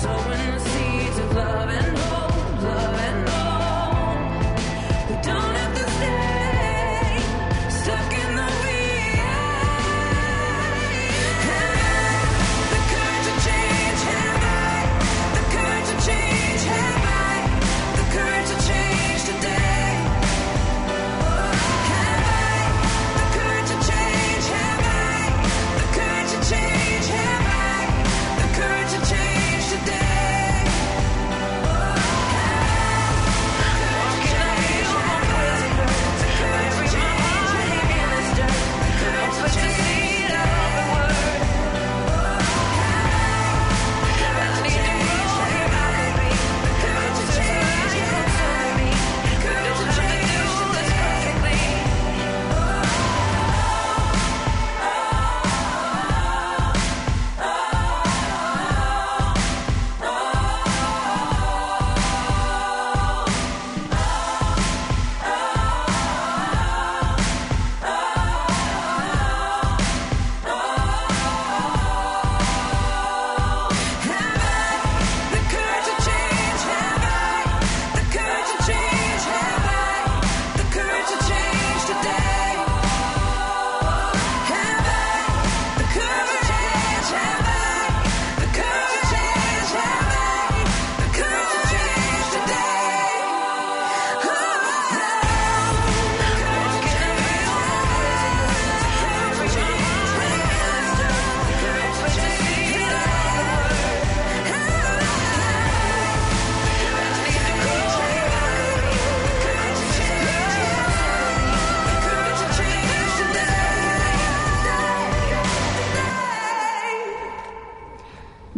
sowing the seeds of love and hope, love and hope. We don't have to stay stuck in the weeds. The courage to change, have I? The courage to change, have I? The courage to change today. Have I? The courage to change, have I? The courage to change, have I? The courage to change today.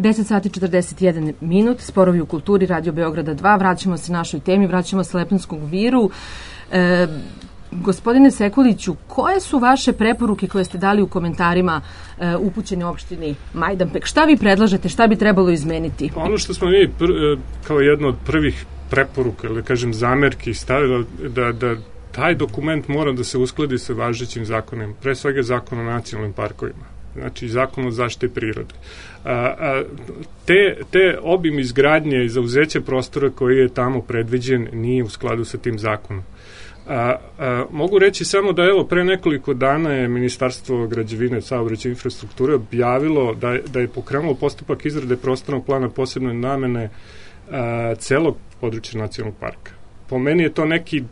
Deset sati 41 minut, sporovi u kulturi, Radio Beograda 2, vraćamo se našoj temi, vraćamo se Lepenskom viru. Gospodine Sekuliću, koje su vaše preporuke koje ste dali u komentarima upućeni opštini Majdanpek? Šta vi predlažete, šta bi trebalo izmeniti? Ono što smo mi kao jedno od prvih preporuka ili kažem zamerki stavila da taj dokument mora da se uskladi sa važećim zakonima, pre svega zakon o nacionalnim parkovima, znači zakon o zaštiti prirode. Te obim izgradnje i zauzeće prostora koji je tamo predviđen nije u skladu sa tim zakonom. Mogu reći samo da evo pre nekoliko dana je Ministarstvo građevine, saobraćaja i infrastrukture objavilo da je pokrenulo postupak izrade prostornog plana posebne namene celog područja nacionalnog parka. Po meni je to neki,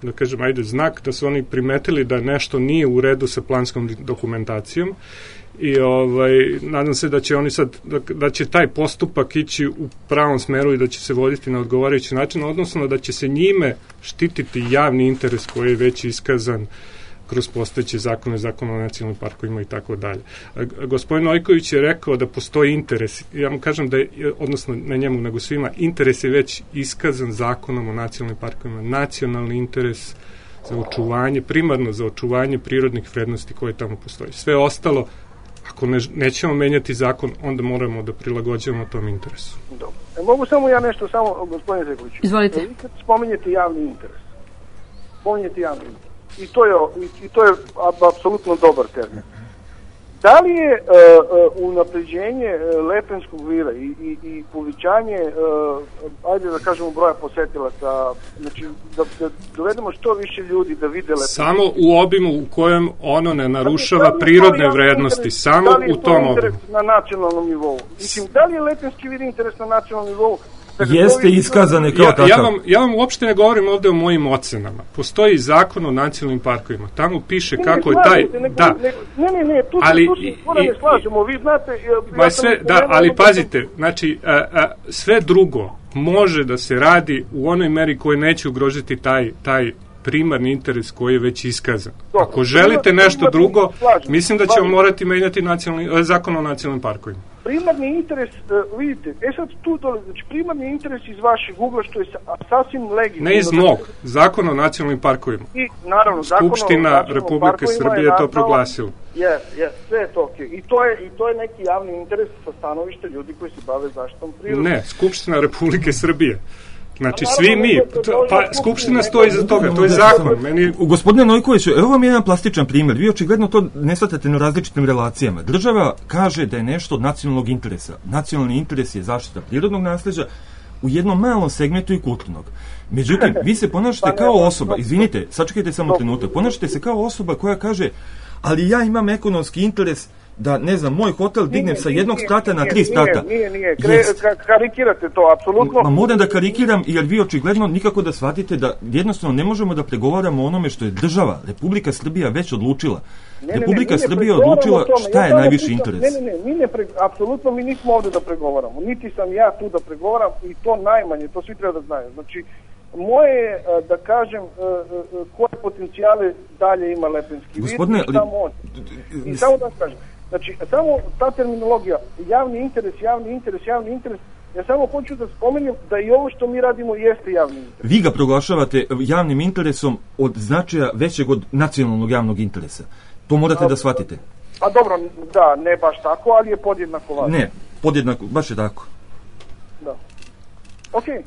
da kažem, znak da su oni primetili da nešto nije u redu sa planskom dokumentacijom i nadam se da će oni sad, da će taj postupak ići u pravom smeru i da će se voditi na odgovarajući način, odnosno da će se njime štititi javni interes koji je već iskazan kroz postojeće zakone, zakon o nacionalnim parkovima i tako dalje. Gospodin Nojković je rekao da postoji interes, ja mu kažem da je, odnosno ne njemu nego svima, interes je već iskazan zakonom o nacionalnim parkovima, nacionalni interes za očuvanje, primarno za očuvanje prirodnih vrednosti koje tamo postoji. Sve ostalo, ako nećemo menjati zakon, onda moramo da prilagođavamo tom interesu. Dobro. Mogu samo ja nešto, gospodine Zekoviću. Izvolite. Vi kad spominjete javni interes, I to je apsolutno dobar termin. Da li je unapređenje Lepenskog vira i povećanje, ajde da kažemo, broja posetilaca, znači da dovedemo što više ljudi da vide Lepensko? Samo u obimu u kojem ono ne narušava prirodne vrednosti, samo u tom obimu. Da li je to interes na nacionalnom nivou? Mislim, da li je Lepenski vir interes na nacionalnom nivou? Jeste iskazane kao takav. Ja vam uopšte ne govorim ovde o mojim ocenama. Postoji zakon o nacionalnim parkovima. Tamo piše kako je taj... Ne, tu se skoro ne slažemo. Vi znate... ali pazite, znači, sve drugo može da se radi u onoj meri koje neće ugrožiti taj primarni interes koji je već iskazan. Ako želite nešto drugo, mislim da ćemo morati menjati zakon o nacionalnim parkovima. Primarni interes, vidite, sad tu dole, znači primarni interes iz vašeg ugla, što je sasvim legitimno. Ne iz mog, zakon o nacionalnim parkovima. I naravno, Skupština Republike Srbije je to proglasila. Sve je to okej. I to je neki javni interes sa stanovišta ljudi koji se bave zaštitom prirode. Ne, Skupština Republike Srbije. Znači, svi mi, Skupština stoji iza toga, to je zakon. Gospodine Nojkoviću, evo vam jedan plastičan primjer. Vi očigledno to ne shvatate na različitim relacijama. Država kaže da je nešto od nacionalnog interesa. Nacionalni interes je zaštita prirodnog nasleđa u jednom malom segmentu i kulturnog. Međutim, vi se ponašate kao osoba, izvinite, sačekajte samo trenutak, ponašate se kao osoba koja kaže, ali ja imam ekonomski interes da, ne znam, moj hotel dignem sa jednog sprata na 3 sprata. Nije. Karikirate to, apsolutno. Moram da karikiram, jer vi očigledno nikako da shvatite da jednostavno ne možemo da pregovaramo o onome što je država, Republika Srbija već odlučila. Republika Srbija odlučila šta je najviši interes. Apsolutno mi nismo ovde da pregovaramo. Niti sam ja tu da pregovaram i to najmanje, to svi treba da znaju. Znači, moje je da kažem koje potencijale dalje ima Lepenski vir i samo da kažem. Znači, samo ta terminologija, javni interes, ja samo hoću da spomenem da i ovo što mi radimo jeste javni interes. Vi ga proglašavate javnim interesom od značaja većeg od nacionalnog javnog interesa. To morate da shvatite. A dobro, da, ne baš tako, ali je podjednako važno. Ne, podjednako, baš je tako. Da. Okej.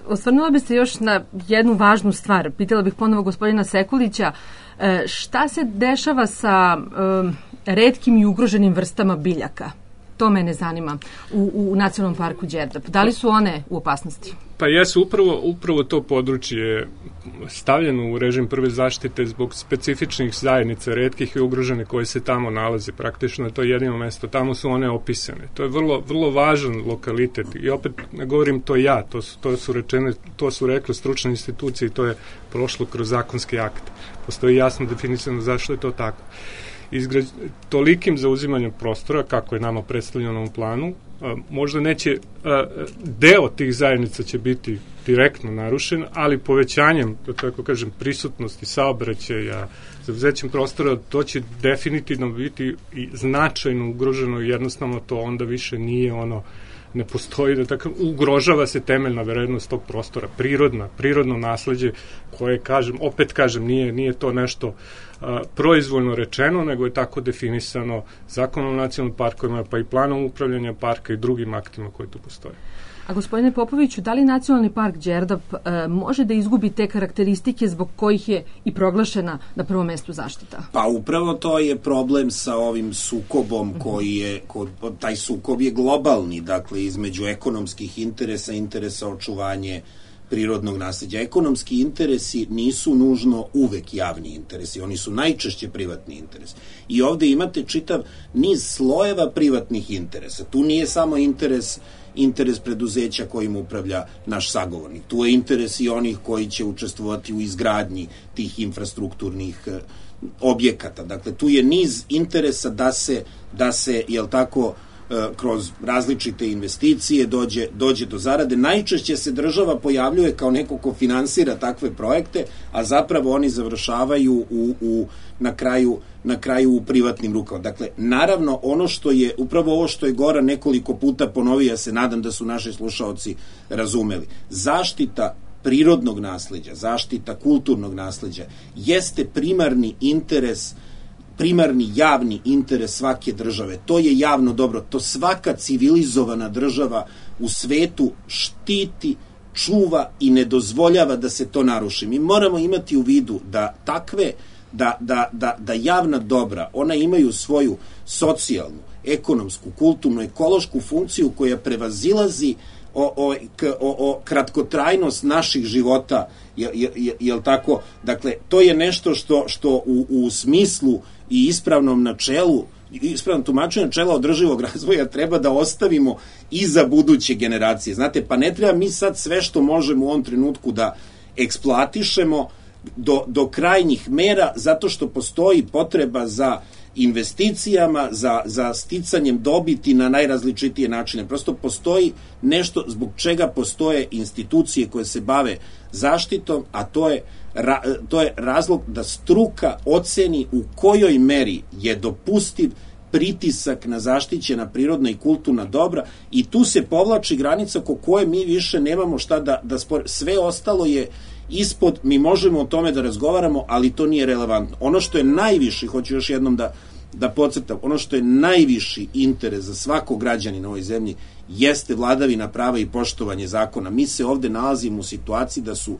Osvrnula bi se još na jednu važnu stvar. Pitala bih ponovo gospodina Sekulića, šta se dešava sa retkim i ugroženim vrstama biljaka? To mene zanima u Nacionalnom parku Đerdap. Da li su one u opasnosti? Pa jesu, upravo to područje stavljeno u režim prve zaštite zbog specifičnih zajednica retkih i ugrožene koje se tamo nalaze. Praktično je to jedino mesto. Tamo su one opisane. To je vrlo važan lokalitet. I opet ne govorim to ja, to su rekle stručne institucije i to je prošlo kroz zakonski akt. Postoji jasno definisano zašto je to tako. Tolikim zauzimanjem prostora, kako je nama predstavljeno u planu, možda neće, deo tih zajednica će biti direktno narušen, ali povećanjem, da tako kažem, prisutnosti saobraćaja, zauzećem prostora, to će definitivno biti i značajno ugroženo i jednostavno to onda više nije ne postoji, da tako, ugrožava se temeljna vrednost tog prostora, prirodno nasleđe koje, opet kažem, nije to nešto proizvoljno rečeno, nego je tako definisano Zakonom o nacionalnim parkovima, pa i planom upravljanja parka i drugim aktima koji tu postoje. A gospodine Popoviću, da li Nacionalni park Đerdap može da izgubi te karakteristike zbog kojih je i proglašena na prvom mestu zaštita? Pa upravo to je problem sa ovim sukobom taj sukob je globalni, dakle između ekonomskih interesa očuvanje prirodnog nasleđa. Ekonomski interesi nisu nužno uvek javni interesi, oni su najčešće privatni interesi. I ovde imate čitav niz slojeva privatnih interesa. Tu nije samo interes preduzeća kojim upravlja naš sagovornik. Tu je interes i onih koji će učestvovati u izgradnji tih infrastrukturnih objekata. Dakle, tu je niz interesa da se jel tako, kroz različite investicije dođe do zarade. Najčešće se država pojavljuje kao neko ko finansira takve projekte, a zapravo oni završavaju na kraju u privatnim rukama. Dakle, naravno, upravo ovo što je Goran nekoliko puta ponovio, ja se nadam da su naši slušaoci razumeli. Zaštita prirodnog nasleđa, zaštita kulturnog nasleđa jeste primarni javni interes svake države. To je javno dobro. To svaka civilizovana država u svetu štiti, čuva i ne dozvoljava da se to naruši. Mi moramo imati u vidu da da javna dobra, ona imaju svoju socijalnu, ekonomsku, kulturnu, ekološku funkciju koja prevazilazi kratkotrajnost naših života, jel tako? Dakle, to je nešto što u smislu i ispravnom tumačenju načela održivog razvoja treba da ostavimo i za buduće generacije. Znate, pa ne treba mi sad sve što možemo u ovom trenutku da eksploatišemo do krajnjih mera, zato što postoji potreba za investicijama, za sticanjem dobiti na najrazličitije načine. Prosto postoji nešto zbog čega postoje institucije koje se bave zaštitom, a to je razlog da struka oceni u kojoj meri je dopustiv pritisak na zaštićena prirodna i kulturna dobra, i tu se povlači granica oko koje mi više nemamo šta da spore. Sve ostalo je ispod, mi možemo o tome da razgovaramo, ali to nije relevantno. Ono što je najviši, hoću još jednom da podcrtam, ono što je najviši interes za svakog građanina u ovoj zemlji jeste vladavina prava i poštovanje zakona. Mi se ovde nalazimo u situaciji da su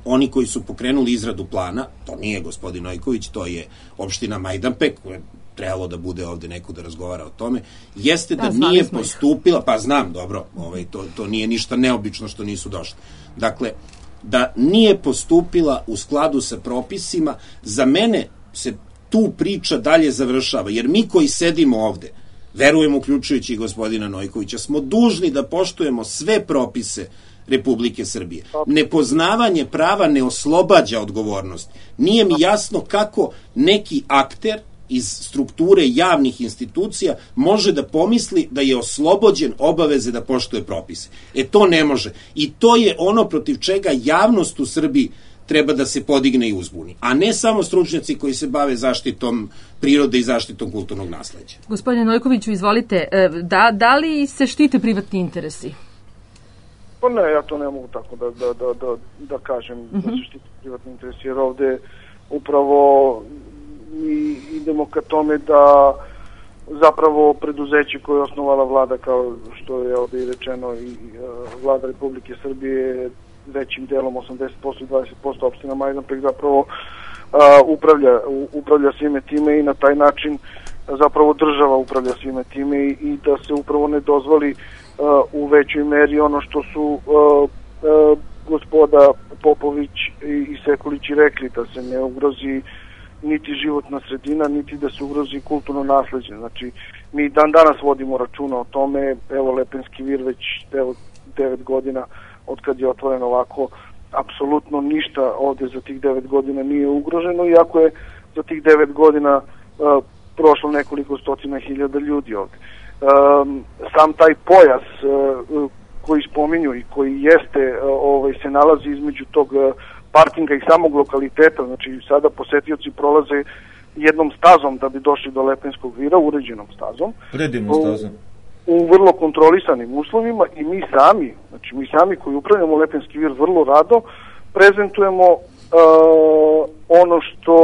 oni koji su pokrenuli izradu plana, to nije gospodin Nojković, to je opština Majdanpek, koja je trebalo da bude ovde neko da razgovara o tome, jeste da nije postupila, pa znam, dobro, to nije ništa neobično što nisu došli. Dakle, da nije postupila u skladu sa propisima, za mene se tu priča dalje završava, jer mi koji sedimo ovde, verujemo, uključujući i gospodina Nojkovića, smo dužni da poštujemo sve propise Republike Srbije. Nepoznavanje prava ne oslobađa odgovornost. Nije mi jasno kako neki akter iz strukture javnih institucija može da pomisli da je oslobođen obaveze da poštuje propise. To ne može. I to je ono protiv čega javnost u Srbiji treba da se podigne i uzbuni, a ne samo stručnjaci koji se bave zaštitom prirode i zaštitom kulturnog nasleđa. Gospodine Nojkoviću, izvolite, da li se štite privatni interesi? Pa ne, ja to ne mogu tako da kažem, da se štite privatni interesi, jer ovde upravo mi idemo ka tome da zapravo preduzeće koje je osnovala vlada, kao što je ovde i rečeno, i vlada Republike Srbije, većim delom 80% i 20% opština Majdanpek zapravo upravlja svime time, i na taj način zapravo država upravlja svime time, i da se upravo ne dozvoli u većoj meri ono što su gospoda Popović i Sekulić rekli, da se ne ugrozi niti životna sredina, niti da se ugrozi kulturno nasleđe. Znači, mi dan danas vodimo računa o tome. Evo, Lepenski vir već 9 godina od kad je otvoren ovako, apsolutno ništa ovde za tih 9 godina nije ugroženo, iako je za tih 9 godina prošlo nekoliko stotina hiljada ljudi ovde. Sam taj pojas koji spominju i koji se nalazi između tog parkinga i samog lokaliteta, znači sada posetioci prolaze jednom stazom da bi došli do Lepenskog vira, uređenom stazom. Predivnom stazom. U vrlo kontrolisanim uslovima, i mi sami koji upravljamo Lepenski vir vrlo rado prezentujemo ono što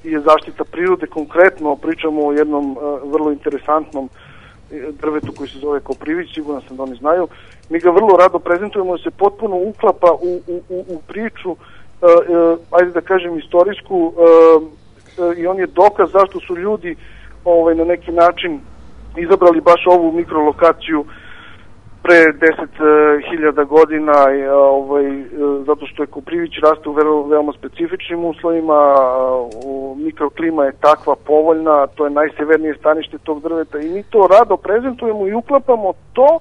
je zaštita prirode, konkretno pričamo o jednom vrlo interesantnom drvetu koji se zove koprivić, sigurno sam da oni znaju. Mi ga vrlo rado prezentujemo, se potpuno uklapa u priču, ajde da kažem istorijsku, i on je dokaz zašto su ljudi na neki način izabrali baš ovu mikrolokaciju pre 10.000 godina, zato što je koprivić raste u veoma specifičnim uslovima, mikroklima je takva povoljna, to je najsevernije stanište tog drveta i mi to rado prezentujemo i uklapamo to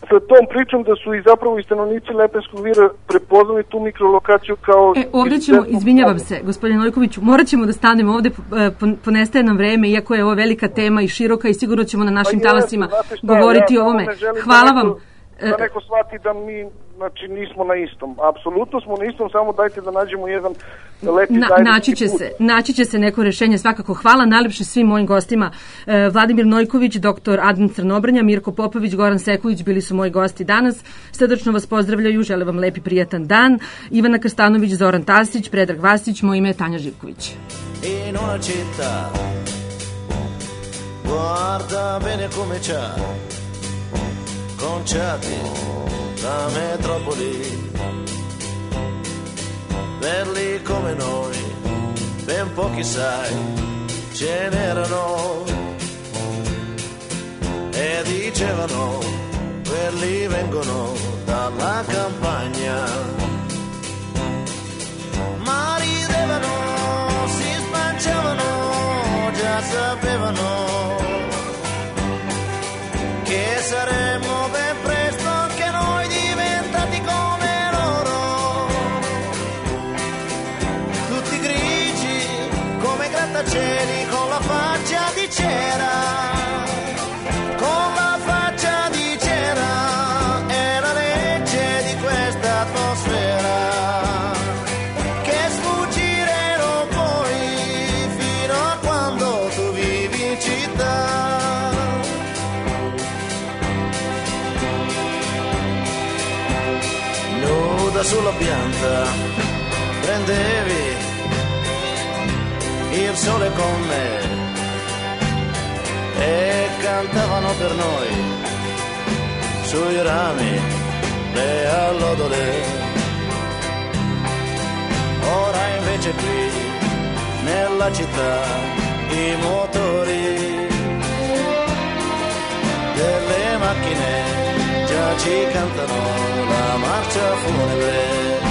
sa tom pričom da su i zapravo i stanovnici Lepenskog vira prepoznali tu mikrolokaciju kao... Ovdje ćemo, izvinjavam se, gospodine Nojkoviću, morat ćemo da stanemo ovdje, ponestaje nam vreme, iako je ovo velika tema i široka i sigurno ćemo na našim talasima govoriti o ovome. Hvala vam. Da neko shvati da mi, znači, nismo na istom. Apsolutno smo na istom, samo dajte da nađemo jedan lepi zajednički put. Naći će se neko rešenje, svakako. Hvala najlepše svim mojim gostima. Vladimir Nojković, dr. Adnan Crnobrnja, Mirko Popović, Goran Sekulić bili su moji gosti danas. Srdačno vas pozdravljaju, žele vam lepi prijatan dan. Ivana Krstanović, Zoran Tasić, Predrag Vasić, moje ime je Tanja Živković. In una città guarda bene come c'ha conciati da metropoli, belli come noi, ben pochi sai, ce n'erano e dicevano, quelli vengono dalla campagna, ma ridevano, si spanciavano, già sapevano che saremmo ben presto anche noi diventati come loro, tutti grigi come grattacieli con la faccia di cera, con la faccia di cera, è la legge di questa atmosfera che sfuggire non puoi fino a quando tu vivi in città. Sulla pianta prendevi il sole con me e cantavano per noi sui rami le allodole. Ora invece qui nella città i motori delle macchine già ci cantano la marcia funebre.